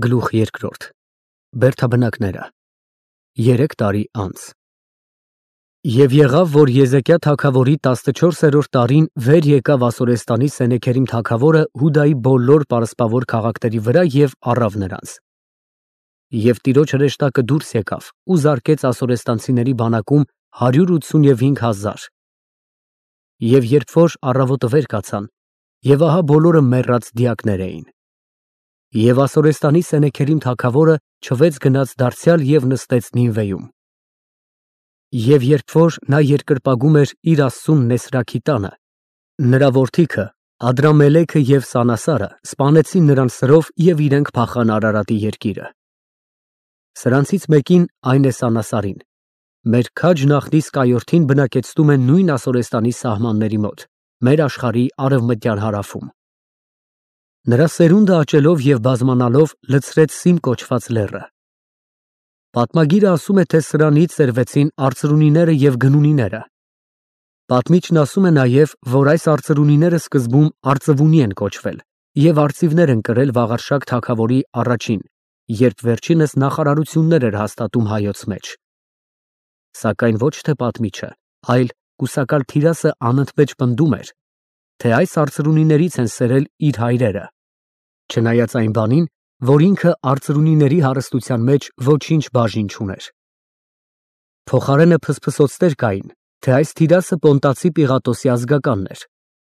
Գլուխ երկրորդ Բերդաբնակները 3 տարի անց Եվ եղավ, որ Եզեկիա թագավորի 14-րդ տարին վեր եկավ Ասորեստանի Սենեքերիմ թագավորը Հուդայի բոլոր պարսպավոր քաղաքների վրա և առավ նրանց։ Եվ Տիրոջ հրեշտակը դուրս եկավ ու զարկեց ասորեստանցիների բանակում 185,000։ Եվ երբ որ առավոտը վեր կացան, և ահա բոլորը մեռած դիակներ էին։ Եվ Ասորեստանի Սենեքերիմ թագավորը չվեց գնաց դարձյալ և նստեց Նինվեում։ Եվ երբ որ նա երկրպագում էր իր աստծուն Նեսրաքի տանը, նրա որդիքը Ադրամելեքը և Սանասարը սպանեցին նրան սրով և իրենք փախան Արարատի երկիրը։ Սրանցից մեկին, այն է Սանասարին, մեր քաջ նախնի սկայորդին բնակեցնում են նույն Ասորեստանի սահմանների մոտ, մեր աշխարհի արևմտյան հարավում։ Նրա սերունդը աճելով և բազմանալով լցրեց Սիմ կոչված լեռը։ Պատմագիրը ասում է, թե սրանից սերվեցին արծրունիները և գնունիները։ Պատմիչն ասում է նաև, որ այս արծրունիները սկզբում արծվունի են կոչվել և արծիվներ են կրել Վաղարշակ թագավորի առաջին, երբ վերջինս նախարարություններ էր հաստատում հայոց մեջ։ Սակայն ոչ թե պատմիչը, այլ կուսակալ Թիրասը անընդմեջ պնդում էր, թե այս արծրունիներից են սերել իր հայրերը, չնայած այն բանին, որ ինքը արծրունիների հարստության մեջ ոչինչ բաժին չուներ։ Փոխարենը փսփսոցներ կային, թե այս Թիրասը Պոնտացի Պիղատոսի ազգականն էր,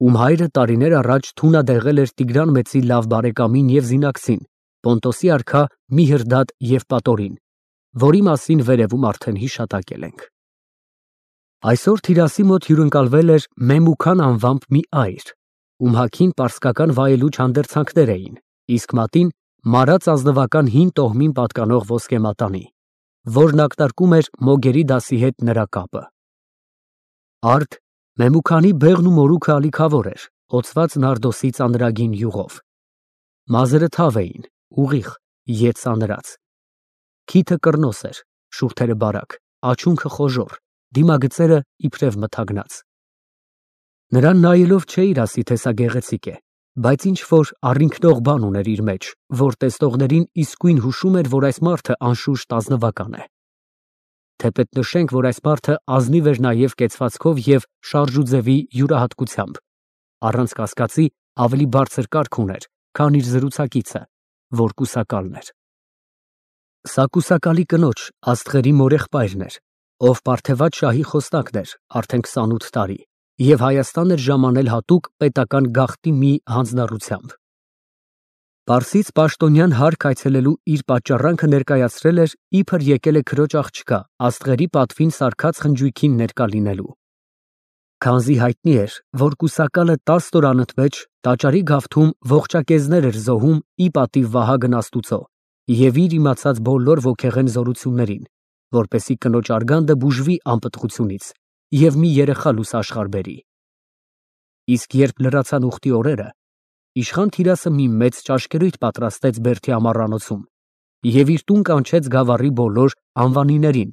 ում հայրը տարիներ առաջ թունադեղել էր Տիգրան Մեծի լավ բարեկամին և զինակցին, Պոնտոսի արքա Միհրդադ Եվպատորին, որի մասին վերևում արդեն հիշատակել ենք։ Այսօր Թիրասի մոտ հյուրընկալվել էր Մեմուքան անվամբ մի այր, ում հագին պարսկական վայելուչ հանդերձանքներ էին, իսկ մատին մարած ազնվական հին տոհմին պատկանող ոսկե մատանի, որն ակնարկում էր Մոգերի դասի հետ նրա կապը։ Արդ Մեմուքանի բեղն ու մորուքը ալիքավոր էր, հոծված նարդոսի ծանրագին յուղով։ Մազերը թավ էին, ուղիղ, ետ սանրած։ Քիթը կռնոս էր, շուրթերը բարակ, աչունքը խոժոռ, դիմագծերը իբրև մթագնած։ Նրան նայելով չէիր ասի, թե սա գեղեցիկ է, բայց ինչ-որ առինքնող բան ուներ իր մեջ, որ տեսնողներին իսկույն հուշում էր, որ այս մարդը անշուշտ ազնվական է։ Թեպետ նշենք, որ այս մարդը ազնիվ էր նաև կեցվածքով և շարժուձևի յուրահատկությամբ, առանց կասկածի ավելի բարձր կարգ ուներ, քան իր զրուցակիցը, որ կուսակալն էր։ Սա կուսակալի կնոջ Աստղերի մորեղբայրն էր, ով Պարթևատ շահի խոսնակն էր արդեն 28 տարի և Հայաստան էր ժամանել հատուկ պետական գաղտնի մի հանձնառությամբ։ Պարսից պաշտոնյան հարք այցելելու իր պատճառանքը ներկայացրել էր, իբր եկել է քրոջ աղջկա Աստղերի պատվին սարքած խնջույքին ներկա լինելու։ Քանզի հայտնի էր, որ կուսակալը 10 օր անընդմեջ տաճարի գավթում ողջակեզներ էր զոհում ի պատիվ Վահագն Աստուծո և իր իմացած բոլոր ոգեղեն զորություններին, որպեսզի կնոջ արգանդը բուժվի անպտղությունից և մի երեխա լուսաշխար բերի։ Իսկ երբ լրացան ուխտի օրերը, իշխան Թիրասը մի մեծ ճաշկերույթ պատրաստեց Բերդի ամառանոցում և իր տուն կանչեց գավառի բոլոր անվանիներին։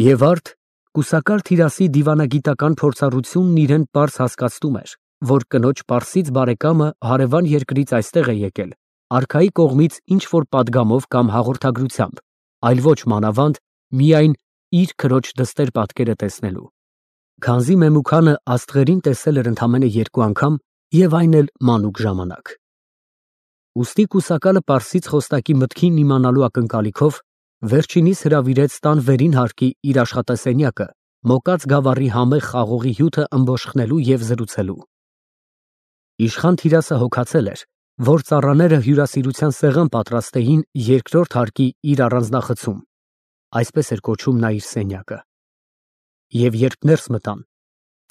Եվ արդ կուսակալ Թիրասի դիվանագիտական փորձառությունն իրեն պարզ հասկացնում էր, որ կնոջ պարսից բարեկամը հարևան երկրից այստեղ է եկել արքայի կողմից ինչ-որ պատգամով կամ հաղորդագրությամբ, այլ ոչ մանավանդ միայն իր քրոջ դստեր պատկերը տեսնելու, քանզի Մեմուքանը Աստղերին տեսել էր ընդամենը 2 անգամ և այն էլ մանուկ ժամանակ։ Ուստի կուսակալը պարսից խոսնակի մտքին իմանալու ակնկալիքով վերջինիս հրավիրեց տան վերին հարկի իր աշխատասենյակը մոկած գավառի համեղ խաղողի հյութը ըմբոշխնելու և զրուցելու։ Իշխան Թիրասը հոգացել էր, որ ծառաները հյուրասիրության սեղան պատրաստեին երկրորդ հարկի իր առանձնախցում, այսպես էր կոչում նա իր սենյակը։ Եվ երբ ներս մտան,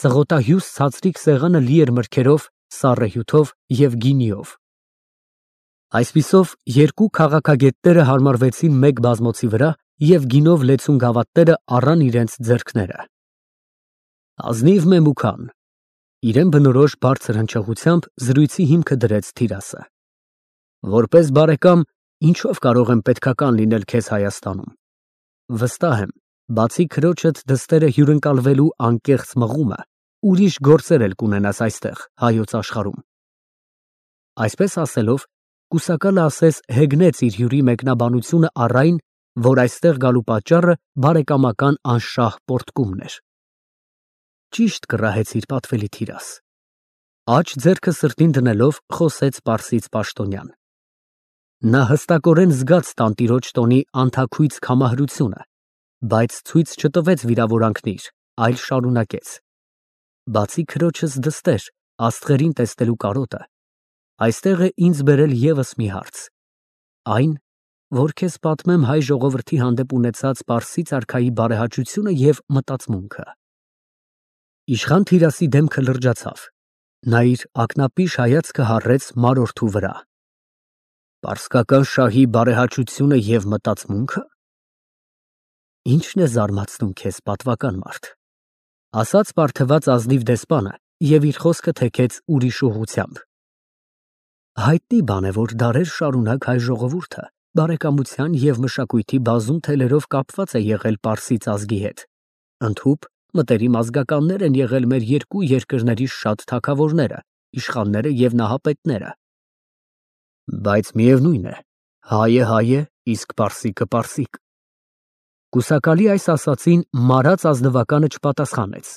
ծղոտահյուս ցածրիկ սեղանը լի էր մրգերով, սառը հյութով և գինիով։ Այսպիսով երկու քաղաքագետները հարմարվեցին մեկ բազմոցի վրա և գինով լեցուն գավաթները առան իրենց ձեռքները։ Ազնիվ Մեմուքան, իրեն բնորոշ բարձր հնչեղությամբ զրույցի հիմքը դրեց Թիրասը։ Որպես բարեկամ, ինչով կարող եմ պետքական լինել քեզ Հայաստանում։ Վստահ եմ, բացի քրոջդ դստերը հյուրընկալվելու անկեղծ մղումը, ուրիշ գործեր էլ կունենաս այստեղ, հայոց աշխարհում։ Այսպես ասելով, Կուսակալը ասես հեգնեց իր հյուրի մեկնաբանությունը առ այն, որ այստեղ գալու պատճառը բարեկամական անշահ պոռթկումն էր։ Ճիշտ կռահեցիր, պատվելի Թիրաս։ Աջ ձեռքը սրտին դնելով խոսեց պարսից պաշտոնյան։ Նա հստակորեն զգաց տանտիրոջ տոնի անթաքույց քամահրությունը, բայց ցույց չտվեց վիրավորանքն իր, այլ շարունակեց. Բացի քրոջս դստեր, աստղերին տեսնելու կարոտը, այստեղ է ինձ բերել ևս մի հարց. այն, որ քեզ պատմեմ հայ ժողովրդի հանդեպ ունեցած պարսից արքայի բարեհաճությունը և մտածմունքը։ Իշխան Թիրասի դեմքը լրջացավ, նա իր ակնապիշ հայացքը հառեց մարորդու վրա։ Պարսկական շահի բարեհաճությունը և մտածմունքը։ Ինչն է զարմացնում քեզ, պատվական մարդ, ասաց պարթված ազնիվ դեսպանը և իր խոսքը թեքեց ուրիշ ուղղությամբ։ Հայտնի բան է, որ դարեր շարունակ հայ ժողովուրդը բարեկամության և մշակույթի բազում թելերով կապված է եղել պարսից ազգի հետ, ընդհուպ մտերիմ ազգականներ են եղել մեր երկու երկրների շատ թագավորները, իշխանները և նահապետները։ Բայց միևնույն է, հայ է, իսկ պարսիկը պարսիկ։ Կուսակալի այս ասացին մարած ազնվականը չպատասխանեց,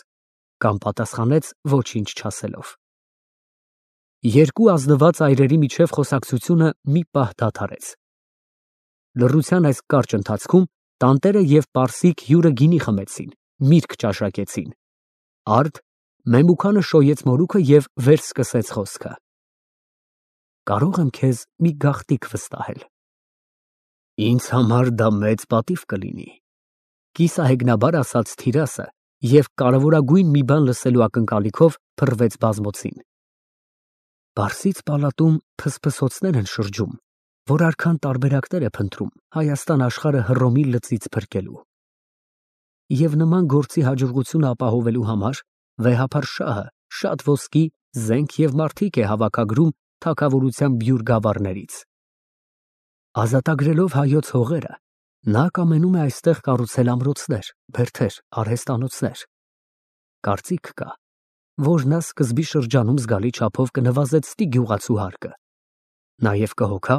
կամ պատասխանեց ոչինչ չասելով։ Երկու ազնված այրերի միջև խոսակցությունը մի պահ դադարեց։ Լռության այս կարճ ընթացքում տանտերը և պարսիկ հյուրը գինի խմեցին, միրգ ճաշակեցին։ Արդ Մեմուքանը շոյեց մորուքը և վեր սկսեց խոսքը. Կարող եմ քեզ մի գաղտնիք վստահել։ Ինձ համար դա մեծ պատիվ կլինի, կիսահեգնաբար ասաց Թիրասը և կարևորագույն մի բան լսելու ակնկալիքով փռվեց բազմոցին։ Պարսից պալատում փսփսոցներ են շրջում, որ արքան տարբերակներ է փնտրում Հայաստան աշխարհը Հռոմի լծից փրկելու։ Եվ նման գործի հաջողությունը ապահովելու համար վեհափար շահը շատ ոսկի, զենք և մարդիկ է հավաքագրում թագավորության բյուր գավառներից։ Ազատագրելով հայոց հողերը, նա կամենում է այստեղ կառուցել ամրոցներ, բերդեր, արհեստանոցներ։ Կարծիք կա, որ նա սկզբի շրջանում զգալի չափով կնվազեցնի գյուղացու հարկը։ Նաև կհոգա,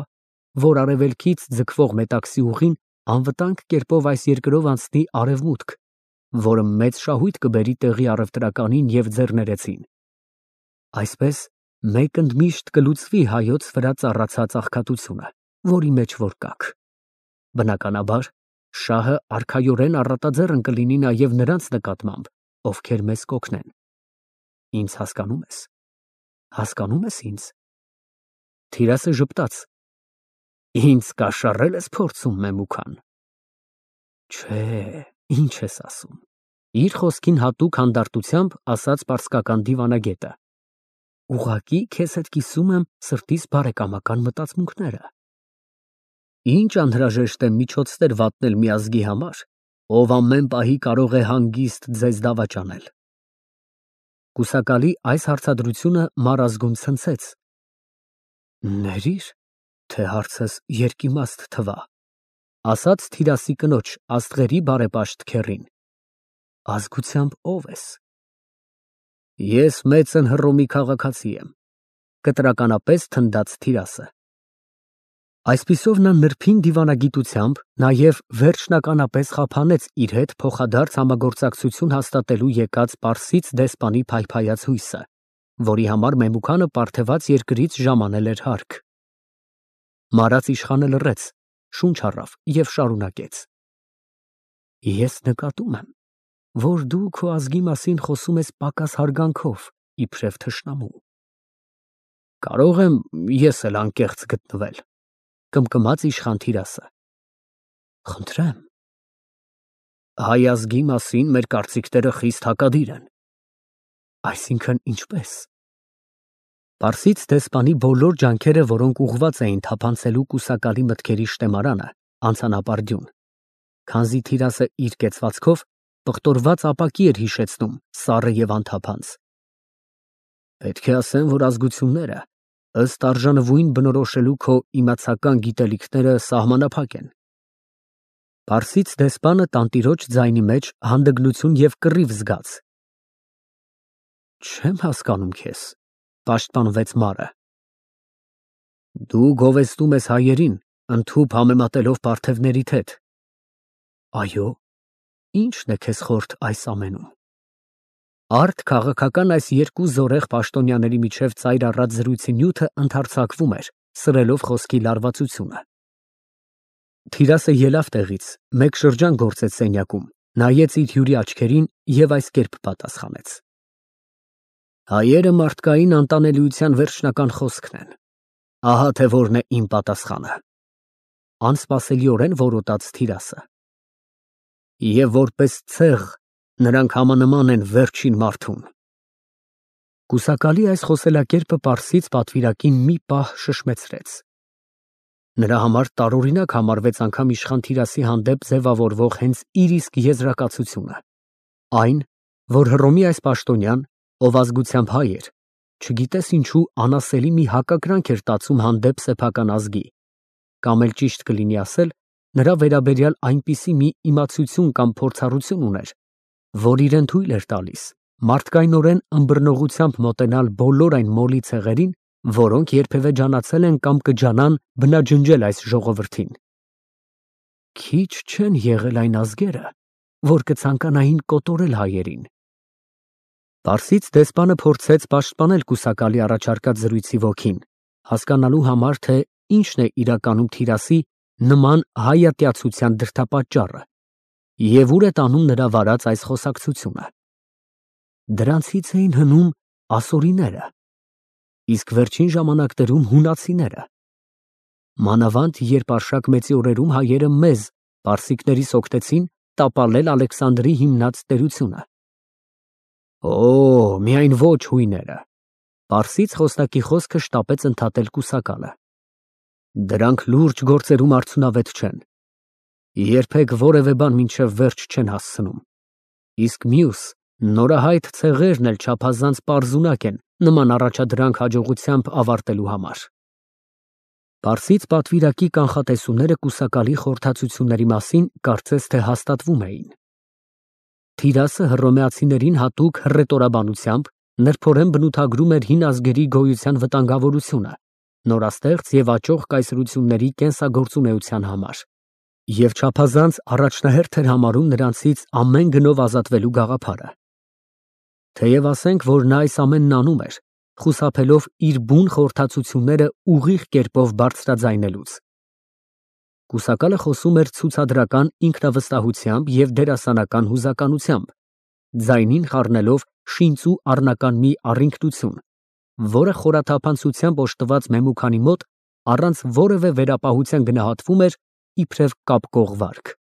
որ արևելքից ձգվող մետաքսի ուղին անվտանգ կերպով այս երկրով անցնի արևմուտք, որը մեծ շահույթ կբերի տեղի առևտրականին և ձեռներեցին։ Այսպես մեկ ընդմիշտ կլուծվի հայոց վրա ծառացած աղքատությունը, որի մեջ որ կաք։ Բնականաբար, շահը արքայորեն առատաձեռն կլինի նաև նրանց նկատմամբ, ովքեր մեզ կօգնեն։ Ինձ հասկանո՞ւմ ես։ Հասկանո՞ւմ ես ինձ։ Թիրասը ժպտաց։ Ինձ կաշառել ես փորձում, Մեմուքան։ Չէ, ինչ ես ասում։ Իր խոսքին հատուկ հանդարտությամբ ասաց պարսկական դիվանագետը։ Ուղղակի քեզ հետ կիսում եմ սրտիս բարեկամական մտածմունքները։ Ինչ անհրաժեշտ է միջոցներ վատնել մի ազգի համար, ով ամեն պահի կարող է հանգիստ ձեզ դավաճանել։ Կուսակալի այս հարցադրությունը մարազգուն ցնցեց։ Ներիր, թե հարցս երկիմաստ թվա, ասաց Թիրասի կնոջ աստղերի բարեպաշտ քեռին։ Ազգությամբ ով ես։ Ես մեծն Հռոմի քաղաքացի եմ, կտրականապես թնդաց Թիրասը։ Այսպիսով նա նրբին դիվանագիտությամբ նաև վերջնականապես խափանեց իր հետ փոխադարձ համագործակցություն հաստատելու եկած պարսից դեսպանի փայփայած հույսը, որի համար Մեմուքանը պարթևած երկրից ժամանել էր հարկ։ Մարած իշխանը լռեց, շունչ առավ և շարունակեց. Ես նկատում եմ, որ դու քո ազգի մասին խոսում ես պակաս հարգանքով, իբրև թշնամու։ Կարող եմ ես էլ անկեղծ գտնվել, կմկմաց իշխան Թիրասը։ Խնդրեմ։ Հայ ազգի մասին մեր կարծիքները խիստ հակադիր են։ Այսինքն ինչպես։ Պարսից դեսպանի բոլոր ջանքերը, որոնք ուղղված էին թափանցելու կուսակալի մտքերի շտեմարանը, անցան ապարդյուն, քանզի Թիրասը իր կեցվածքով պղտորված ապակի էր հիշեցնում սառը և անթափանց։ Պետք է ասեմ, որ ազգությունները ըստ արժանվույն բնորոշելու քո իմացական գիտելիքները սահմանափակ են։ Պարսից դեսպանը տանտիրոջ ձայնի մեջ հանդգնություն և կռիվ զգաց։ Չեմ հասկանում քեզ, պաշտպանվեց մարը։ Դու գովեստում ես հայերին, ընդհուպ համեմատելով պարթևներիդ հետ։ Այո, ի՞նչն է քեզ խորթ այս ամենում։ Արդ քաղաքական այս երկու զորեղ պաշտոնյաների միջև ծայր առած զրույցի նյութը ընդարձակվում էր, սրելով խոսքի լարվածությունը։ Թիրասը ելավ տեղից, մեկ շրջան գործեց սենյակում, նայեց իր հյուրի աչքերին և այս կերպ պատասխանեց. Հայերը մարդկային անտանելիության վերջնական խոսքն են։ Ահա թե որն է իմ պատասխանը։ Անսպասելիորեն որոտաց Թիրասը։ Եվ որպես ցեղ նրանք համանման են վերջին մարդուն։ Կուսակալի այս խոսելակերպը Պարսից պատվիրակին մի պահ շշմեցրեց։ Նրա համար տարօրինակ համարվեց անգամ իշխան Թիրասի հանդեպ ձևավորվող հենց իր իսկ եզրակացությունը։ Այն, որ Հռոմի այս պաշտոնյան, ով ազգությամբ հայ էր, չգիտես ինչու անասելի մի հակակրանք էր տածում հանդեպ սեփական ազգի, կամ էլ ճիշտ կլինի ասել, նրա վերաբերյալ այնպիսի մի իմացություն կամ փորձառություն ուներ, որ իրեն թույլ էր տալիս մարդկայնորեն ըմբռնողությամբ մոտենալ բոլոր այն մոլի ցեղերին, որոնք երբևէ ջանացել են կամ կջանան բնաջնջել այս ժողովրդին։ Քիչ չեն եղել այն ազգերը, որ կցանկանային կոտորել հայերին։ Պարսից դեսպանը փորձեց պաշտպանել կուսակալի առաջարկած զրույցի ոգին, հասկանալու համար, թե ինչն է իրականում Թիրասի նման հայատյացության դրդապատճառը և ուր է տանում նրա վարած այս խոսակցությունը։ Դրանցից էին հնում ասորիները, իսկ վերջին ժամանակներում հունացիները։ Մանավանդ երբ Արշակ մեծի օրերում հայերը մեզ, պարսիկներից օգնեցին տապալել Ալեքսանդրի հիմնած տերությունը։ Օ, միայն ոչ հույները։ Պարսից խոսնակի խոսքը շտապեց ընդհատել կուսակալը։ Դրանք լուրջ գործերում արդյունավետ չեն։ Երբեք որևէ բան մինչև վերջ չեն հասցնում։ Իսկ մյուս նորահայտ ցեղերն էլ չափազանց պարզունակ են նման առաջադրանք հաջողությամբ ավարտելու համար։ Պարսից պատվիրակի կանխատեսումները կուսակալի խորհրդածությունների մասին կարծես թե հաստատվում էին։ Թիրասը հռոմեացիներին հատուկ հռետորաբանությամբ նրբորեն բնութագրում էր հին ազգերի գոյության վտանգավորությունը, նորաստեղծ և աճող կայսրությունների կենսագործունեության համար, և չափազանց առաջնահերթ էր համարում նրանցից ամեն գնով ազատվելու գաղափարը։ Թեև ասենք, որ նա այս ամենն անում էր, խուսափելով իր բուն խորհրդածությունները ուղիղ կերպով բարձրաձայնելուց։ Կուսակալը խոսում էր ցուցադրական ինքնավստահությամբ և դերասանական հուզականությամբ, ձայնին խառնելով շինծու առնական մի առինքնություն, որը խորաթափանցությամբ օժտված Մեմուքանի մոտ առանց որևէ վերապահության գնահատվում էր իբրև կապկող վարք։